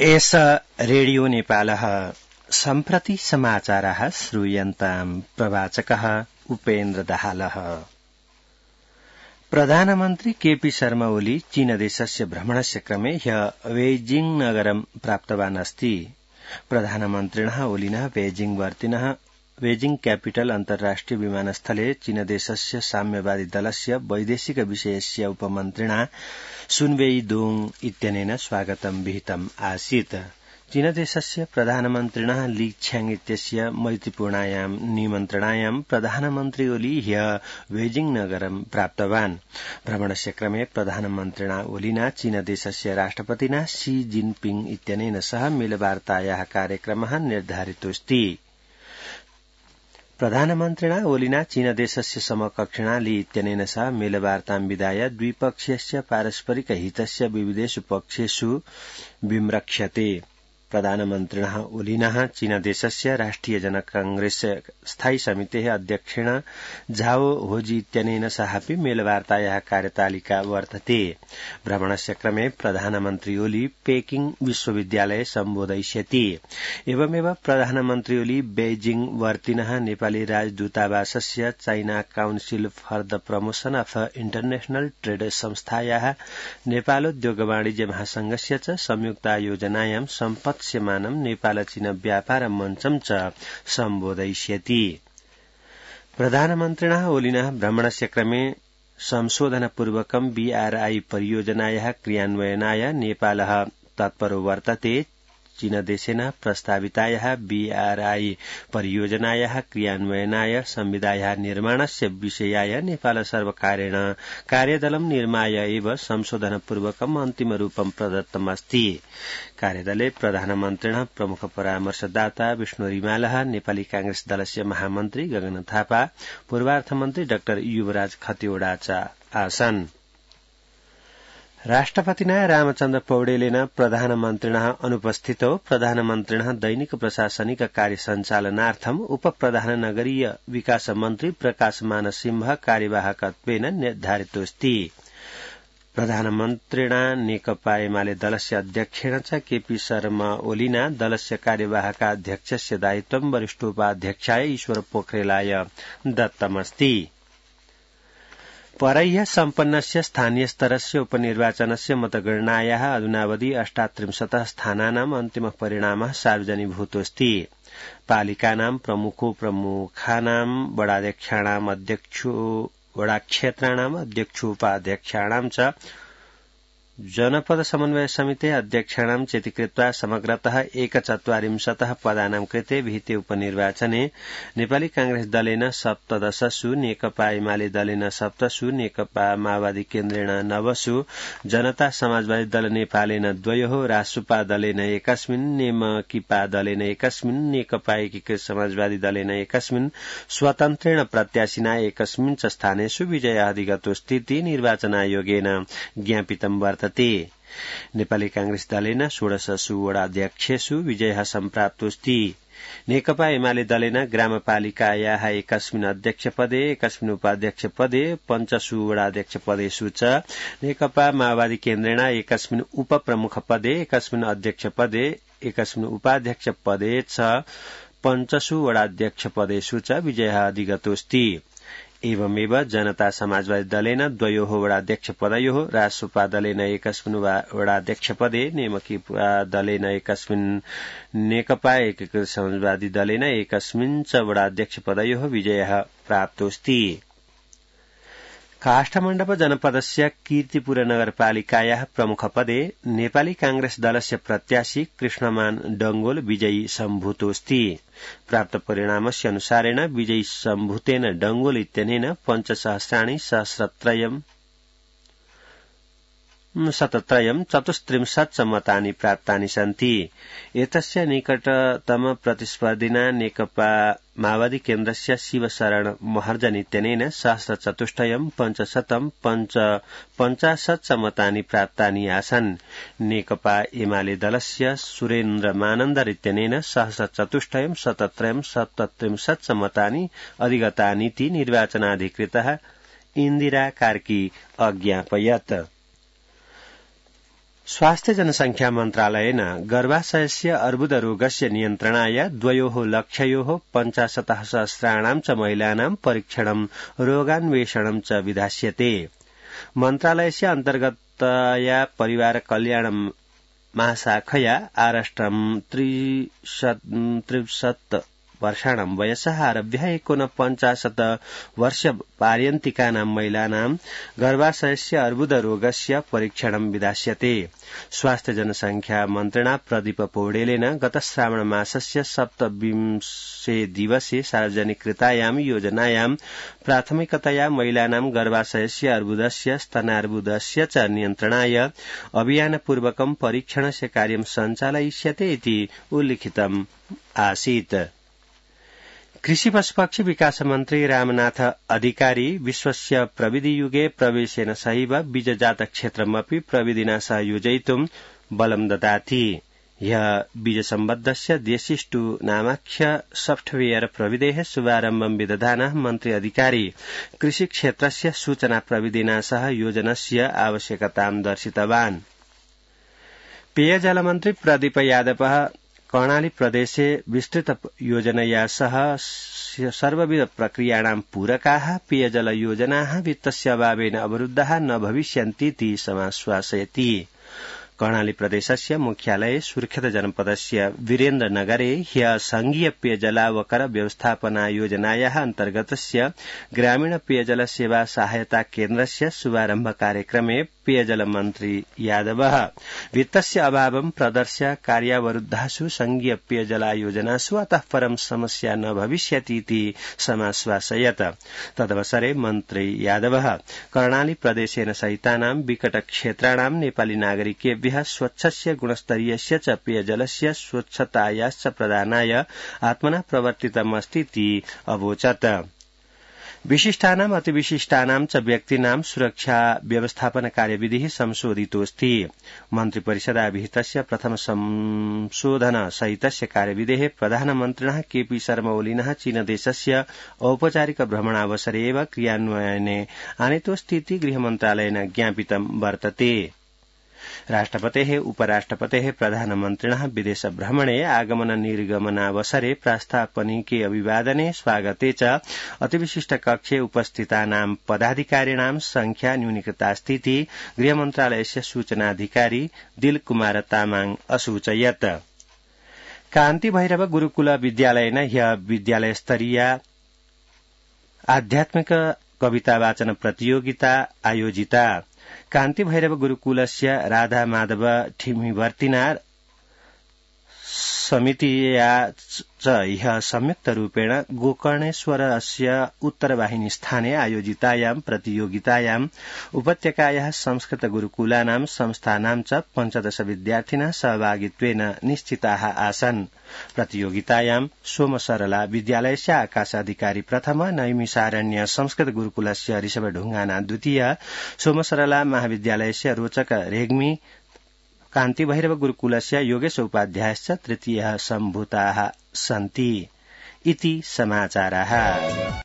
एष रेडियो नेपालः सम्प्रति समाचाराः श्रूयन्ताम् प्रवाचकः उपेन्द्र दाहालः। प्रधानमन्त्री केपी शर्मा ओली चीनदेशस्य भ्रमणस्य क्रमे ह्यः बेइजिंग नगरं प्राप्तवान् अस्ति। प्रधानमन्त्रिणः ओलिनः बेइजिंग कैपिटल अन्तर्राष्ट्रिय विमानस्थले चीनदेशस्य साम्यवादी दलस्य वैदेशिक विषयस्य उपमन्त्रिणा सुनवेईदोङ इत्यनेन स्वागतं विहितम् आसीत्। चीनदेशस्य प्रधानमन्त्रिणः ली छ्याङ इत्यस्य मैत्रीपूर्णायां निमन्त्रणायां प्रधानमन्त्री ओली ह्यः बेइजिंग नगरं प्राप्तवान्। भ्रमणस्य क्रमे प्रधानमन्त्रिणा ओलिना चीनदेशस्य राष्ट्रपतिना शी जिनपिङ इत्यनेन सह मेलवार्तायाः कार्यक्रमः निर्धारितोऽस्ति। प्रधानमन्त्रिणा ओलिना चीनदेशस्य समकक्षिणा ली इत्यनेन सह मेलवार्तां विधाय द्विपक्षीयस्य पारस्परिक हितस्य विविधेषु पक्षेषु विम्रक्ष्यते। प्रधानमन्त्रिणः ओलिनः चीनदेशस्य राष्ट्रिय जनक कांग्रेस स्थायी समितेः अध्यक्षेण झाओ होजी इत्यनेन सहापि मेलवार्तायाः कार्यतालिका वर्तते। भ्रमणस्य क्रमे प्रधानमन्त्री ओली पेकिंग विश्वविद्यालये सम्बोधयिष्यति। एवमेव प्रधानमन्त्री ओली बेइजिंग वर्तिनः नेपाली राजदूतावासस्य China council for the promotion of international trade संस्थायाः नेपालोद्योग वाणिज्य महासंघस्य च संयुक्तायोजनायां सम्पत्स्यमानं नेपाल चीन व्यापार मञ्चं च सम्बोधयिष्यति। प्रधानमन्त्रिणः ओलिनः भ्रमणस्य क्रमे संशोधनपूर्वकं बीआरआई परियोजनायाः क्रियान्वयनाय नेपालः तत्परो वर्तते। चीनदेशेन प्रस्तावितायाः बीआरआई परियोजनायाः क्रियान्वयनाय संविधायाः निर्माणस्य विषयाय नेपाल सर्वकारेण कार्यदलं निर्माय एव संशोधनपूर्वकम् अन्तिमरूपं प्रदत्तमस्ति। कार्यदले प्रधानमन्त्रिणः प्रमुख परामर्शदाता विष्णु रिमालः, नेपाली कांग्रेस दलस्य महामन्त्री गगन थापा, पूर्वार्थमन्त्री डाक्टर युवराज खतिवड़ा च आसन्। राष्ट्रपतिना रामचन्द्र पौडेलेन प्रधानमन्त्रिणः अनुपस्थितौ प्रधानमन्त्रिणः दैनिक प्रशासनिक कार्य सञ्चालनार्थम् उपप्रधान नगरीय विकास मन्त्री प्रकाश मानसिंह कार्यवाहकत्वेन निर्धारितोऽस्ति। प्रधानमन्त्रिणा नेकपा एमाले दलस्य अध्यक्षेण च केपी शर्मा ओलिना दलस्य कार्यवाहकाध्यक्षस्य दायित्वं वरिष्ठोपाध्यक्षाय ईश्वर पोखरेलाय दत्तमस्ति। परह्य सम्पन्नस्य स्थानीय स्तरस्य उपनिर्वाचनस्य मतगणनायाः अधुनावधि 38 स्थानानाम् अन्तिमः परिणामः सार्वजनीभूतोऽस्ति। पालिकानां प्रमुखानां वडाध्यक्षाणाम् वडाक्षेत्राणाम् अध्यक्षोपाध्यक्षाणां च जनपद समन्वय समिते अध्यक्षाणां चेति कृत्वा समग्रतः 41 पदानां कृते विहिते उपनिर्वाचने नेपाली कांग्रेस दलेन 17, नेकपा एमाले दलेन 7, नेकपा माओवादी केन्द्रेण 9, जनता समाजवादी दल नेपालेन 2, रासुपा दलेन 1, नेमकिपा दलेन 1, नेकपा एकीकृत समाजवादी दलेन 1, स्वतन्त्रेण प्रत्याशिना 1 च स्थानेषु विजयाधिगतोऽस्तीति निर्वाचन आयोगेन ज्ञापितं वर्तते। नेपाली कांग्रेस दलेन 16 वडाध्यक्षेषु विजयः सम्प्राप्तोऽस्ति। नेकपा एमाले दलेन ग्रामपालिकायाः 1 अध्यक्षपदे, 1 उपाध्यक्षपदे, 5 वडाध्यक्षपदेषु च, नेकपा माओवादी केन्द्रेण 1 उपप्रमुखपदे, 1 अध्यक्षपदे, 1 उपाध्यक्षपदे च, 5 वडाध्यक्षपदेषु च विजयः अधिगतोऽस्ति। एवमेव जनता समाजवादी दलेन 2 वडाध्यक्षपदयोः, रासुपा दलेन 1 वडाध्यक्षपदे, नेमकिपा दलेन 1, नेकपा एकीकृत समाजवादी दलेन 1 च वडाध्यक्षपदयोः विजयः प्राप्तोऽस्ति। काष्ठमण्डप जनपदस्य कीर्तिपुर नगरपालिकायाः प्रमुखपदे नेपाली कांग्रेस दलस्य प्रत्याशी कृष्णमान डंगोल विजयी सम्भूतोऽस्ति। प्राप्त परिणामस्य अनुसारेण विजयी सम्भूतेन डंगोल इत्यनेन 5,सहस्राणि 1,734 मतानि प्राप्तानि सन्ति। एतस्य निकटतम प्रतिस्पर्धिना नेकपा माओवादी केन्द्रस्य शिवशरण महर्जन इत्यनेन 1,450 मतानि प्राप्तानि आसन्। नेकपा एमाले दलस्य सुरेन्द्र मानन्दर इत्यनेन 1,477 मतानि अधिगतानीति निर्वाचनाधिकृतः इन्दिरा कार्की अज्ञापयत्। स्वास्थ्य जनसंख्या मन्त्रालयेन गर्भाशयस्य अर्बुदरोगस्य नियन्त्रणाय द्वयोः लक्ष्ययोः 50,000 च महिलानां परीक्षणं रोगान्वेषणं च विधास्यते। मन्त्रालयस्य अन्तर्गतया परिवार कल्याण महाशाखया आराष्ट्रं 63 वर्षाणां वयसः आरभ्य 49 वर्षपर्यन्तिकानां महिलानां गर्भाशयस्य अर्बुदरोगस्य परीक्षणं विधास्यते। स्वास्थ्य जनसंख्या मन्त्रिणा प्रदीप पौडेलेन गत श्रावण मासस्य 27 दिवसे सार्वजनिकृतायां योजनायां प्राथमिकतया महिलानां गर्भाशयस्य अर्बुदस्य स्तनार्बुदस्य च नियन्त्रणाय अभियानपूर्वकं परीक्षणस्य कार्यं सञ्चालयिष्यते इति उल्लिखितम् आसीत्। कृषि पशुपक्षी विकास मन्त्री रामनाथ अधिकारी विश्वस्य प्रविधियुगे प्रवेशेन सहैव बीजजात क्षेत्रमपि प्रविधिना सह योजयितुं बलं ददाति। ह्यः बीजसम्बद्धस्य देशिष्टु नामाख्य सॉफ्टवेयर प्रविधेः शुभारम्भं विदधानः मन्त्री अधिकारी कृषिक्षेत्रस्य सूचना प्रविधिना सह योजनस्य आवश्यकतां दर्शितवान्। पेयजलमन्त्री प्रदीप यादवः कर्णाली प्रदेशे विस्तृत योजनया सह सर्वविध प्रक्रियाणां पूरकाः पेयजल योजनाः वित्तस्य अभावेन अवरुद्धाः न भविष्यन्तीति समाश्वासयति। कर्णाली प्रदेशस्य मुख्यालये सुर्खेत जनपदस्य वीरेन्द्रनगरे ह्यः संघीय पेयजलावकर व्यवस्थापना योजनायाः अन्तर्गतस्य ग्रामीण पेयजल सेवा सहायता केन्द्रस्य शुभारम्भ कार्यक्रमे पेयजल मन्त्री यादवः वित्तस्य अभावं प्रदर्श्य कार्यावरुद्धासु संघीय पेयजला योजनासु अतः परं समस्या न भविष्यतीति समाश्वासयत्। तदवसरे मन्त्री यादवः कर्णाली प्रदेशेन सहितानां विकटक्षेत्राणां नेपाली नागरिकेभ्यः स्वच्छस्य गुणस्तरीयस्य च पेयजलस्य स्वच्छतायाश्च प्रदानाय आत्मना प्रवर्तितमस्तीति अवोचत्। विशिष्टानाम् अतिविशिष्टानां च व्यक्तीनां सुरक्षा व्यवस्थापन कार्यविधिः संशोधितोऽस्ति। मन्त्रिपरिषदाभिहितस्य प्रथम संशोधन सहितस्य कार्यविधेः प्रधानमन्त्रिणः केपी शर्मा ओलीनः चीनदेशस्य औपचारिक भ्रमणावसरे एव क्रियान्वयने आनीतोऽस्तीति गृहमन्त्रालयेन ज्ञापितं वर्तते। राष्ट्रपतेः उपराष्ट्रपतेः प्रधानमन्त्रिणः विदेश भ्रमणे आगमन निर्गमनावसरे प्रास्तापनिके अभिवादने स्वागते च अतिविशिष्ट कक्षे उपस्थितानां पदाधिकारिणां संख्या न्यूनीकृतास्तीति गृहमन्त्रालयस्य सूचनाधिकारी दिलकुमार तामाङ असूचयत्। कान्ति भैरव गुरुकुल विद्यालयेन ह्यः विद्यालयस्तरीय आध्यात्मिक कविता वाचन प्रतियोगिता आयोजिता। कान्ति भैरव गुरुकुलस्य राधा माधव ठिमिवर्तिना समितिया च ह्यः संयुक्तरूपेण गोकर्णेश्वरस्य उत्तरवाहिनी स्थाने आयोजितायां प्रतियोगितायां उपत्यकायाः संस्कृत गुरुकुलानां संस्थानां च 15 विद्यार्थिनः सहभागित्वेन निश्चिताः आसन्। प्रतियोगितायां सोमसरला विद्यालयस्य आकाशाधिकारी प्रथम, नैमिषारण्य संस्कृत गुरुकुलस्य ऋषभ ढुंगाना द्वितीय, सोमसरला महाविद्यालयस्य रोचक रेग्मी, कान्ति भैरव गुरुकुलस्य योगेश उपाध्यायश्च तृतीयः सम्भूताः सन्ति इति समाचाराः।